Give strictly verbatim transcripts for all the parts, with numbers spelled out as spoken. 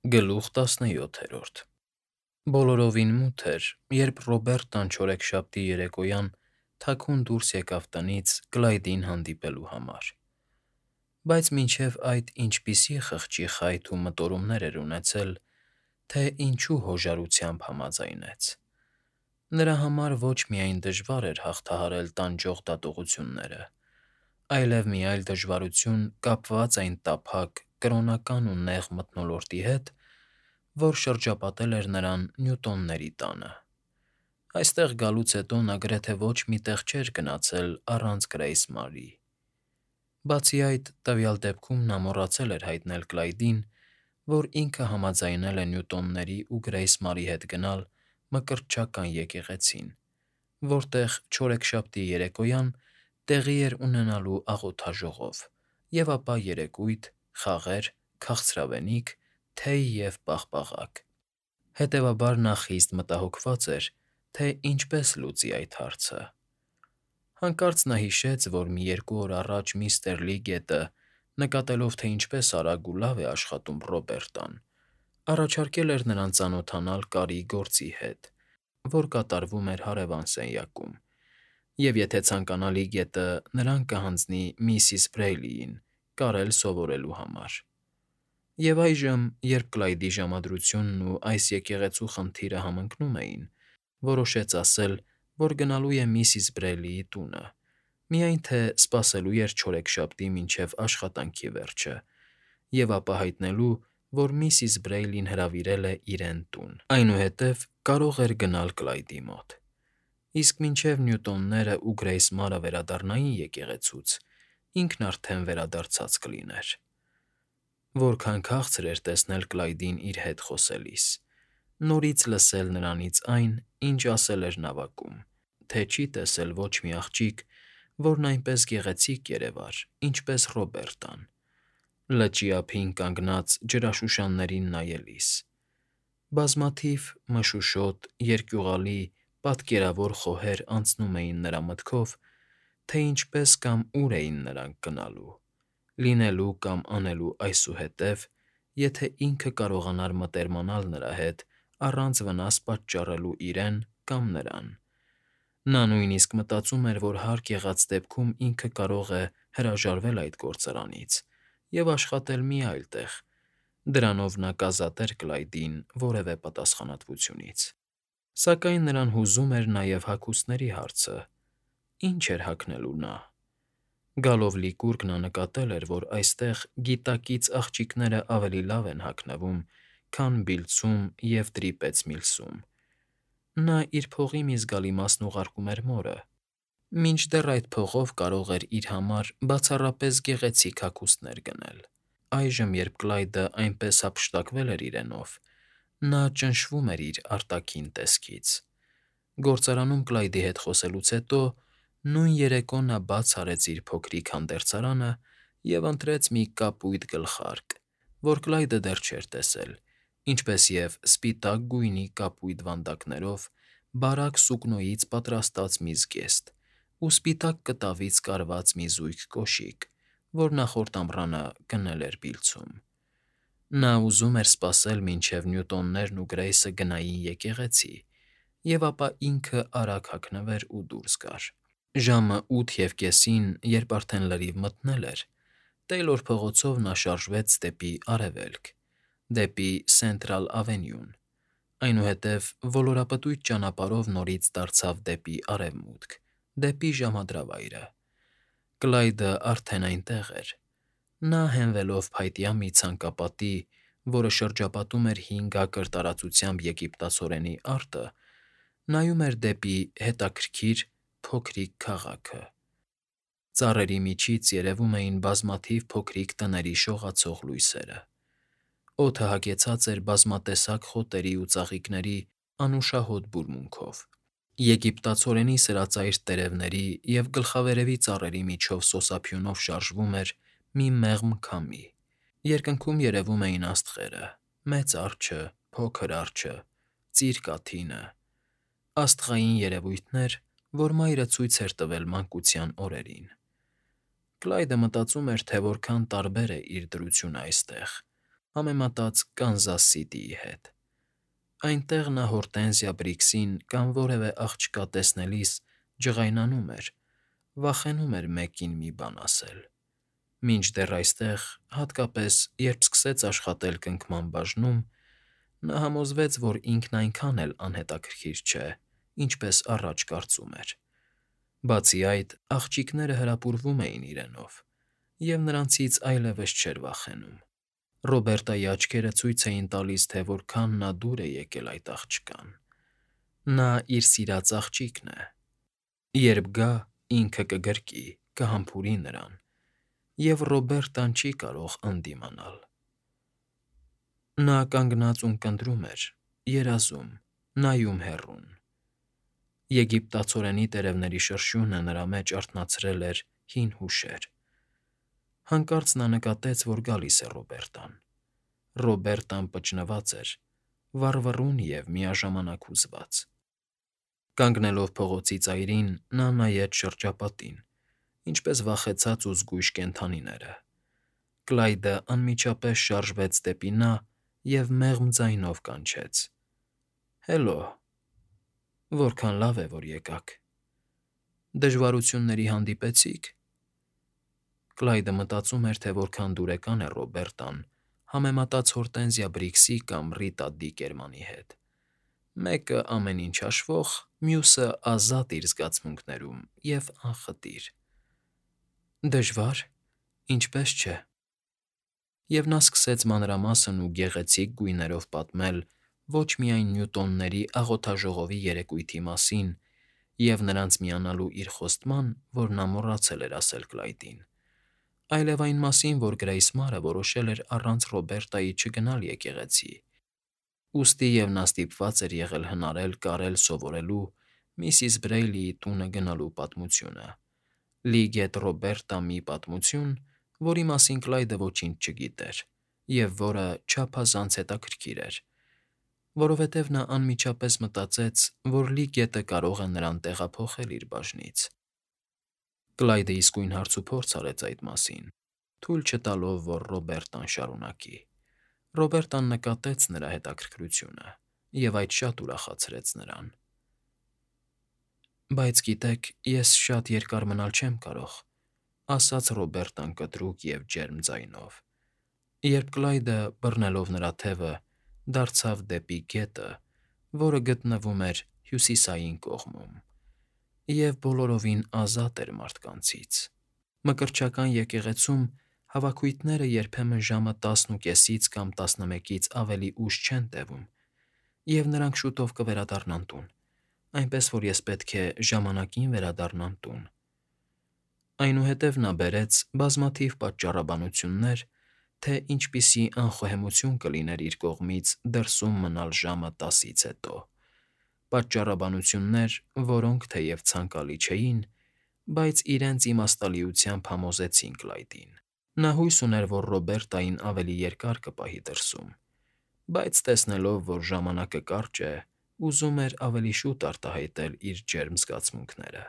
Գլուխ տասնյոթերորդ Բոլորովին մութ էր, երբ Ռոբերտան չորեքշաբթի երեկոյան թաքուն դուրս եկավ տնից Կլայդին հանդիպելու համար, բայց մինչև այդ ինչպիսի խղճի խայթ ու մտորումներ էր ունեցել, թե ինչու հոժարությամբ համաձայնեց. նրա համար ոչ միայն դժվար էր հաղթահարել տանջող դատողությունները, այլև մի այլ դժվարություն կապված այն տափակ, կրոնական ու նեղ մթնոլորտի հետ, որ շրջապատել էր նրան Նյուտոնների տանը. այստեղ գալուց հետո նա գրեթե ոչ մի տեղ չէր գնացել առանց Գրեյս Մարի. Բացի այդ, տվյալ դեպքում նա մոռացել էր հայտնել Կլայդին, որ ինքը համաձայնել է Նյուտոնների ու Գրեյս Մարի հետ գնալ Մկրտչական եկեղեցին, որտեղ չորեքշաբթի երեկոյան տեղի էր ունենալու աղոթաժողով, և ապա երեկույթ, խաղեր, քաղցրավենիք, թեյ և պաղպաղակ. հետևաբար նա խիստ մտահոգված էր, թե ինչպես լուծի այդ հարցը. Հանկարծ նա հիշեց, որ մի երկու օր առաջ միստր Լիգետը, նկատելով, թե ինչպես արագ ու լավ է աշխատում Ռոբերտան, առաջարկել էր նրան ծանոթանալ կարի գործի հետ, որ կատարվում էր հարևան սենյակում, և եթե ցանկանա Լիգետը, նրան կհանձնի միսիս Բրեյլիին կարել սովորելու համար. Եվ այժմ, երբ Կլայդի ժամադրությունն ու այս եկեղեցու խնդիրը համընկնում էին, որոշեց ասել, որ գնալու է միսիս Բրեյլիի տունը, միայն թե սպասելու էր չորեքշաբթի մինչև աշխատանքի վերջը, և ապա հայտնելու, որ միսիս Բրեյլին հրավիրել է իրեն տուն, այնուհետև կարող էր գնալ Կլայդի մոտ, իսկ մինչև Նյուտոնները ու Գրեյս Մարը վերադառնային եկեղեցուց, ինքն արդեն վերադարձած կլիներ. Որքան քաղցր էր տեսնել Կլայդին իր հետ խոսելիս, նորից լսել նրանից այն, ինչ ասել էր նավակում, թե չի տեսել ոչ մի աղջիկ, որն այնպես գեղեցիկ երևար, ինչպես Ռոբերտան, լճի ափին կանգնած ջրաշուշաններին նայելիս. բազմաթիվ մշուշոտ, երկյուղալի, պատկերավոր խոհեր անցնում էին նրա մտքով, թե ինչպես կամ ուր էին նրանք գնալու, լինելու կամ անելու այսուհետև, եթե ինքը կարողանար մտերմանալ նրա հետ առանց վնաս պատճառելու իրեն կամ նրան. նա նույնիսկ մտածում էր, որ հարկ եղած դեպքում ինքը կարող է հրաժարվել այդ գործարանից և աշխատել մի այլ տեղ, դրանով նա կազատեր Կլայդին որևէ պատասխանատվությունից, սակայն նրան հուզում էր նաև հագուստների հարցը. ի՞նչ էր հագնելու նա. Գալով Լիկուրգ նա նկատել էր, որ այստեղ գիտակից աղջիկներն ավելի լավ են հագնվում, քան Բիլցում և Տրիպեცմիլսում. նա իր փողի մի զգալի մասն ուղարկում էր մորը, մինչդեռ այդ փողով կարող էր իր համար բացառապես գեղեցիկ հագուստներ գնել. Այժմ, երբ Կլայդը այնպես հափշտակվել էր իրենով, նա ճնշվում էր իր արտաքին տեսքից. Գործարանում Կլայդի հետ խոսելուց հետո նույն երեկո նա բաց արեց իր փոքրիկ հանդերձարանը և ընտրեց մի կապույտ գլխարկ, որ Կլայդը դեռ չէր տեսել, ինչպես և սպիտակ գույնի կապույտ վանդակներով բարակ սուկնոյից պատրաստած մի զգեստ ու սպիտակ կտավից կարված մի զույգ կոշիկ, որ նախորդ ամռանը գնել էր Բիլցում. նա ուզում էր սպասել, մինչև Նյուտոններն ու Գրեյսը գնային եկեղեցի, և ապա ինքը արագ հագնվեր ու դուրս գար. Ժամը ութ և կեսին, երբ արդեն լրիվ մթնել էր, Տեյլոր փողոցով նա շարժվեց դեպի արևելք, դեպի Սենթրալ Ավենյուն, այնուհետև ոլորապտույտ ճանապարհով նորից դարձավ դեպի արևմուտք, դեպի ժամադրավայրը. Կլայդը արդեն այնտեղ էր. նա հենվելով փայտյա մի ցանկապատի, որը շրջապատում էր հինգ ակր տարածությամբ եգիպտացորենի արտը, նայում էր դեպի հետաքրքիր, փոքրիկ քաղաքը. ծառերի միջից երևում էին բազմաթիվ փոքրիկ տների շողացող լույսերը. օդը հագեցած էր բազմատեսակ խոտերի ու ծաղիկների անուշահոտ բուրմունքով. եգիպտացորենի սրածայր տերևների և գլխավերևի ծառերի միջով սոսափյունով շարժվում էր մի մեղմ քամի, երկնքում երևում էին աստղերը՝ Մեծ Արջը, Փոքր Արջը, Ծիր Կաթինը, աստղային երևույթներ, որ մայրը ցույց էր տվել մանկության օրերին. Կլայդը մտածում էր, թե որքան տարբեր է իր դրությունն այստեղ, համեմատած Կանզաս Սիթիի հետ։ Այնտեղ նա Հորտենզիա Բրիքսին կամ որևէ աղջկա տեսնելիս ջղայնանում էր, վախենում էր մեկին մի բան ասել։ Մինչդեռ այստեղ, հատկապես երբ սկսեց աշխատել կնքման բաժնում, նա համոզվեց, որ ինքն այնքան էլ անհետաքրքիր չէ, ինչպես առաջ կարծում էր։ Բացի այդ, աղջիկները հրապուրվում էին իրենով, և նրանցից այլևս չէր վախենում։ Ռոբերտայի աչքերը ցույց էին տալիս, թե որքան նա դուր է եկել այդ աղջկան։ Նա իր սիրած աղջիկն է։ Երբ գա, ինքը կգրկի, կհամբուրի նրան, և Ռոբերտան չի կարող ընդդիմանալ։ Նա կանգնած ունկնդրում էր, երազում, նայում հեռուն։ Եգիպտացորենի տերևների շրշյունը նրա մեջ արթնացրել էր հին հուշեր։ Հանկարծ նա նկատեց, որ գալիս է Ռոբերտան։ Ռոբերտան պճնված էր, վառվռուն և միաժամանակ հուզված։ Կանգնելով փողոցի ծայրին, նա նայեց շրջապատին, ինչպես վախեցած ու զգույշ կենդանիները։ Կլայդը անմիջապես շարժվեց դեպի նա և մեղմ ձայնով կանչեց. «Հելո, որքան լավ է, որ եկաք։ Դժվարությունների հանդիպեցի՞ք»։ Կլայդը մտածում էր, թե որքան դուրեկան է Ռոբերտան համեմատած Հորտենզիա Բրիքսի կամ Ռիտա Դիկերմանի հետ։ Մեկը ամեն ինչ հաշվող, մյուսը ազատ իր զգացմունքներում և անխտիր։ Դժվա՞ր, ինչպե՞ս չէ։ Եվ նա սկսեց մանրամասն ու գեղեցիկ գույներով պատմել ոչ միայն Նյուտոնների աղոթաժողովի երեկույթի մասին և նրանց միանալու իր խոստման, որ նա մոռացել էր ասել Կլայդին, այլև այն մասին, որ Գրեյս Մարը որոշել էր առանց Ռոբերտայի չգնալ եկեղեցի, ուստի և նա ստիպված էր եղել հնարել կարել սովորելու միսիս Բրեյլիի տունը գնալու պատմությունը, լի գետ Ռոբերտա մի պատմություն, որի մասին Կլայդը ոչինչ չգիտեր և որը չափազանց հետաքրքիր էր, որովհետև նա անմիջապես մտածեց, որ լի գետը կարող է նրան տեղափոխել իր բաժնից։ Կլայդը իսկույն հարցուփորձ արեց այդ մասին, թույլ չտալով, որ Ռոբերտան շարունակի։ Ռոբերտան նկատեց նրա հետաքրքրությունը, և այդ շատ ուրախացրեց նրան։ Բայց գիտեք, ես շատ երկար մնալ չեմ կարող, ֊ ասաց Ռոբերտան կտրուկ և ջերմ ձայնով, երբ Կլայդը, բռնելով նրա թևը, դարձավ դեպի գետը, որը գտնվում էր հյուսիսային կողմում, և բոլորովին ազատ էր մարդկանցից։ Մկրտչական եկեղեցում հավաքույթները երբեմն ժամը տասնուկեսից կամ տասնմեկից ավելի ուշ չեն տևում, և նրանք շուտով կվերադառնան տուն, այնպես որ ես պետք է ժամանակին վերադառնամ տուն։ Այնուհետև նա բերեց բազմաթիվ պատճառաբանություններ, թե ինչպիսի անխոհեմություն կլիներ իր կողմից դրսում մնալ ժամը տասից հետո, պատճառաբանություններ, որոնք թեև ցանկալի չէին, բայց իրենց իմաստալիությամբ համոզեցին Կլայդին։ Նա հույս ուներ, որ Ռոբերտային ավելի երկար կպահի դրսում, բայց տեսնելով, որ ժամանակը կարճ է, ուզում էր ավելի շուտ արտահայտել իր ջերմ զգացմունքները,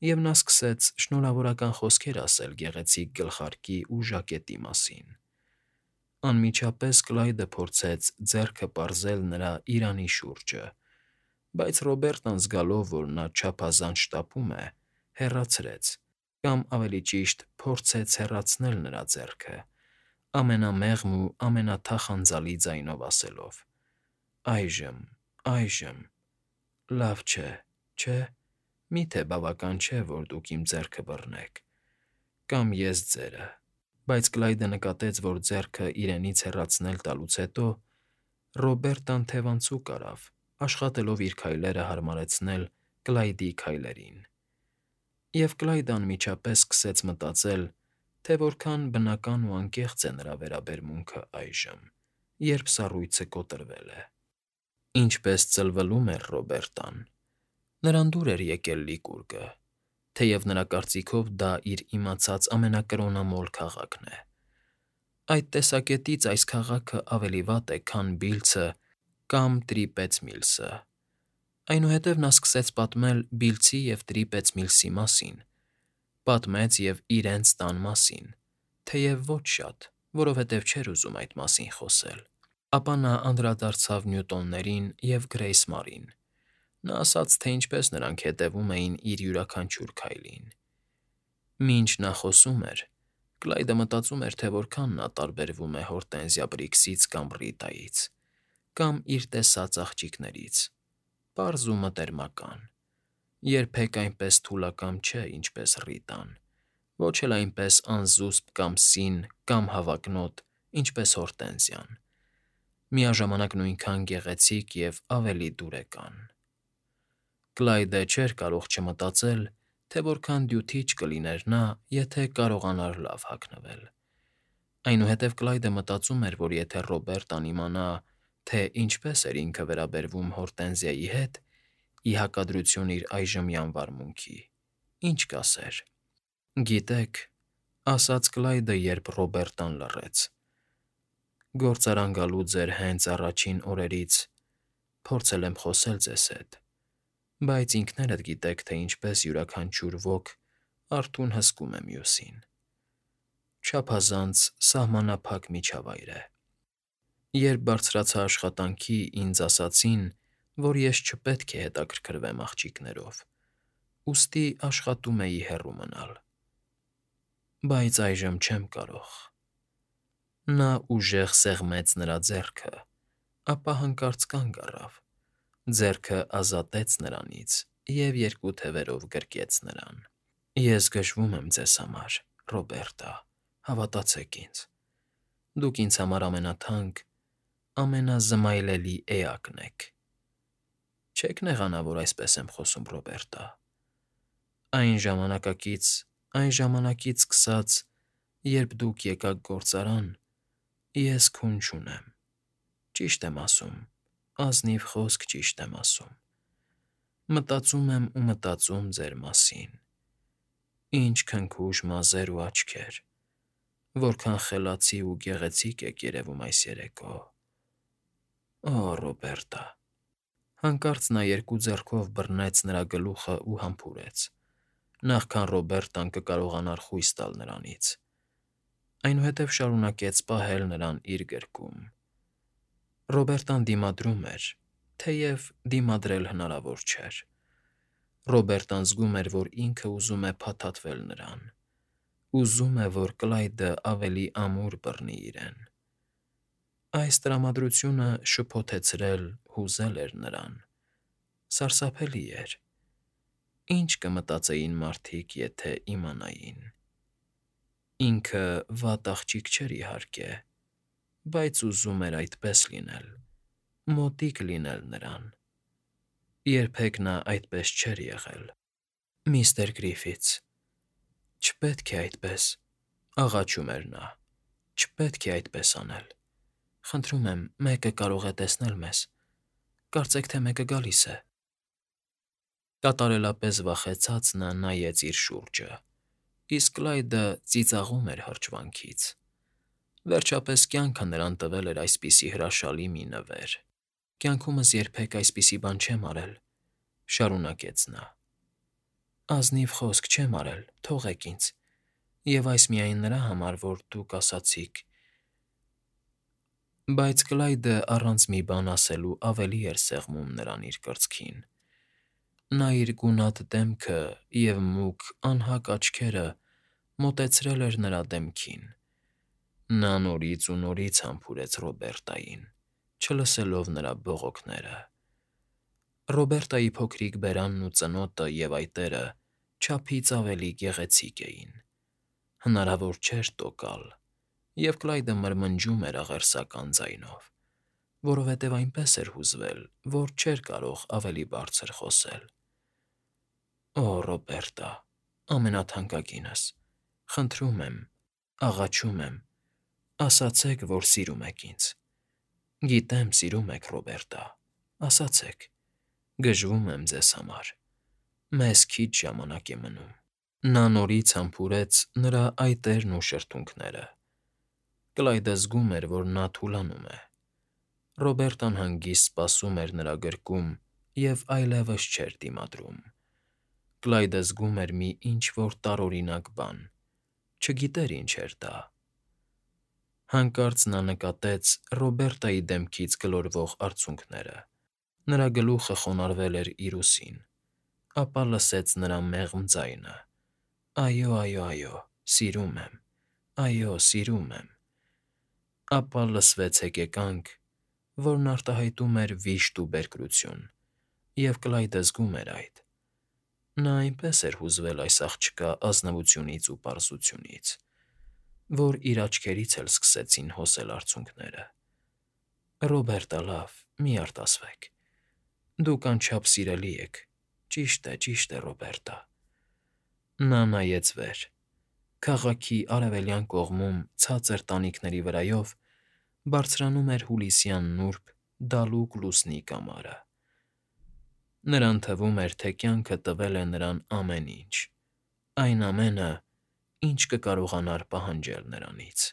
և նա սկսեց շնորհավորական խոսքեր ասել գեղեցիկ գլխարկի ու ժակետի մասին։ Անմիջապես Կլայդը փորձեց ձեռքը պարզել նրա իրանի շուրջը, բայց Ռոբերտան զգալով, որ նա չափազանց շտապում է, հեռացրեց, կամ ավելի ճիշտ փորձեց հեռացնել նրա ձեռքը, ամենամեղմ ու ամենաթախանձալի ձայնով ասելով. «Այժմ, այժմ, լավ չէ, չէ՞, մի՞թե բավական չէ, որ դուք իմ ձեռքը բռնեք, կամ ես ձերը»։ Բայց Կլայդը նկատեց, որ ձեռքը իրենից հեռացնել տալուց հետո Ռոբերտան թևանցուկ արավ, աշխատելով իր քայլերը հարմարեցնել Կլայդի քայլերին։ Եվ Կլայդը անմիջապես սկսեց մտածել, թե որքան բնական ու անկեղծ է նրա վերաբերմունքը այժմ, երբ սառույցը կոտրվել է։ Ինչպես ծլվելում էր Ռոբերտան։ Նրան դուր էր եկել Լիկուրգը, թեև նրա կարծիքով դա իր իմացած ամենակրոնամոլ քաղաքն է։ Այդ տեսակետից այս քաղաքը ավելի վատ է, քան Բիլձը կամ Տրիպեცմիլսը։ Այնուհետև նա սկսեց պատմել Բիլձի և Տրիպեცմիլսի մասին, պատմեց և իրենց տան մասին, թեև ոչ շատ, որովհետև չէր ուզում այդ մասին խոսել։ Ապա նա անդրադարձավ Նյուտոններին և Գրեյս Մարին։ Նա ասաց, թե ինչպես նրանք հետևում էին իր յուրաքանչյուր քայլին։ Մինչ նա խոսում էր, Կլայդը մտածում էր, թե որքան նա տարբերվում է Հորտենզիա Բրիքսից կամ Ռիտայից, կամ իր տեսած աղջիկներից, պարզ ու մտերմական, երբեք այնպես թուլակամ չէ, ինչպես Ռիտան, ոչ էլ այնպես անզուսպ կամ սին կամ հավակնոտ, ինչպես Հորտենզիան, միաժամանակ նույնքան գեղեցիկ և ավելի դուրեկան։ Կլայդը չէր կարող չմտածել, թե որքան դյութիչ կլիներ նա, եթե կարողանար լավ հագնվել։ Այնուհետև Կլայդը մտածում էր, որ եթե Ռոբերտան իմանա, թե ինչպես էր ինքը վերաբերվում Հորտենզիայի հետ, ի հակադրություն իր այժմյան վարմունքի, ինչ կասեր։ «Գիտեք,֊ ասաց Կլայդը, երբ Ռոբերտան լռեց,֊ գործարան գալու ձեր հենց առաջին օրերից փորձել եմ խոսել ձեզ հետ, բայց ինքներդ գիտեք, թե ինչպես յուրաքանչյուր ոք արթուն հսկում է մյուսին։ Չափազանց սահմանափակ միջավայր է։ Երբ բարձրացա աշխատանքի, ինձ ասացին, որ ես չպետք է հետաքրքրվեմ աղջիկներով, ուստի աշխատում էի հեռու մնալ։ Բայց այժմ չեմ կարող»։ Նա ուժեղ սեղմեց նրա ձեռքը, ապա հանկարծ կանգ առավ, ձեռքը ազատեց նրանից և երկու թևերով գրկեց նրան։ «Ես գժվում եմ ձեզ համար, Ռոբերտա, հավատացեք ինձ։ Դուք ինձ համար ամենաթանկ, ամենազմայլելի էակն եք։ Չեք նեղանա, որ այսպես եմ խոսում, Ռոբերտա։ Այն ժամանակակից, այն ժամանակից սկսած, երբ դուք եկաք գործարան, ես քուն չունեմ, ճիշտ եմ ասում, ազնիվ խոսք ճիշտ եմ ասում։ Մտածում եմ ու մտածում ձեր մասին։ Ինչ քնքուշ մազեր ու աչքեր, որքան խելացի ու գեղեցիկ եք երևում այս երեկո։ Օ, Ռոբերտա»։ Հանկարծ նա երկու ձեռքով բռնեց նրա գլուխն ու համբուրեց, նախքան Ռոբերտան կկարողանար խույս տալ նրանից։ Այնուհետև շարունակեց պահել նրան իր գրկում։ Ռոբերտան դիմադրում էր, թեև դիմադրել հնարավոր չէր։ Ռոբերտան զգում էր, որ ինքը ուզում է փաթաթվել նրան, ուզում է, որ Կլայդը ավելի ամուր բռնի իրեն։ Այս տրամադրությունը շփոթեցրել, հուզել էր նրան։ Սարսափելի էր։ Ի՞նչ կմտածեին մարդիկ, եթե իմանային։ Ինքը վատ աղջիկ չէր, իհարկե, բայց ուզում էր այդպես լինել, մոտիկ լինել նրան։ Երբեք նա այդպես չէր եղել։ «Միստր Գրիֆիթս, չպետք է այդպես,֊ աղաչում էր նա,֊ չպետք է այդպես անել։ Խնդրում եմ, մեկը կարող է տեսնել մեզ, կարծեք թե մեկը գալիս է»։ Կատարելապես վախեցած նա նայեց իր շուրջը, իսկ Կլայդը ծիծաղում էր հրճվանքից։ Վերջապես կյանքը նրան տվել էր այսպիսի հրաշալի մի նվեր։ «Կյանքումս երբեք այսպիսի բան չեմ արել,֊ շարունակեց նա։ Ազնիվ խոսք չեմ արել, թողեք ինձ, և այս միայն նրա համար, որ դուք ասացիք։ Բայց Կլայդը առանց մի բան ասելու ավելի էր սեղմում նրան իր կրծքին։ Նա իր գունատ դեմքը և մուգ, անհակ աչքերը մոտեցրել էր նրա դեմքին։ Նա նորից ու նորից համբուրեց Ռոբերտային, չլսելով նրա բողոքները։ Ռոբերտայի փոքրիկ բերանն ու ծնոտը և այտերը չափից ավելի գեղեցիկ էին։ Հնարավոր չէր տոկալ, և Կլայդը մրմնջում էր աղերսական ձայնով, որովհետև այնպես էր հուզվել, որ չէր կարող ավելի բարձր խոսել։ «Օ, Ռոբերտա, ամենաթանկագինս, խնդրում եմ, աղաչում եմ, ասացեք, որ սիրում եք ինձ։ Գիտեմ, սիրում եք, Ռոբերտա, ասացեք, գժվում եմ ձեզ համար, մեզ քիչ ժամանակ է մնում»։ Նա նորից համբուրեց նրա այտերն ու շրթունքները։ Կլայդը զգում էր, որ նա թուլանում է։ Ռոբերտան հանգիստ սպասում էր նրա գրկում և այլևս չէր դիմադրում։ Կլայդը զգում էր մի ինչ֊որ տարօրինակ բան, չգիտեր ինչ էր դա։ Հանկարծ նա նկատեց Ռոբերտայի դեմքից գլորվող արցունքները. նրա գլուխը խոնարհվել էր իր ուսին, ապա լսեց նրա մեղմ ձայնը. «Այո, այո, այո, սիրում եմ, այո, սիրում եմ»։ Ապա լսվեց հեկեկանք, որն արտահայտում էր վիշտ ու բերկրություն, և Կլայդը զգում էր այդ. նա այնպես էր հուզվել այս աղջկա ազնվությունից ու պարզությունից, որ իր աչքերից էլ սկսեցին հոսել արցունքները։ «Ռոբերտը, լավ, մի արտասվեք, դուք անչափ սիրելի եք, ճիշտ է, ճիշտ է, Ռոբերտա»։ Նա նայեց վեր. քաղաքի արևելյան կողմում ցածր տանիքների վրայով բարձրանում էր հուլիսյան նուրբ, դալուկ լուսնի կամարը։ Նրան թվում էր, թե կյանքը տվել է նրան ամեն ինչ, այն ամենը, ինչ կկարողանար պահանջել նրանից։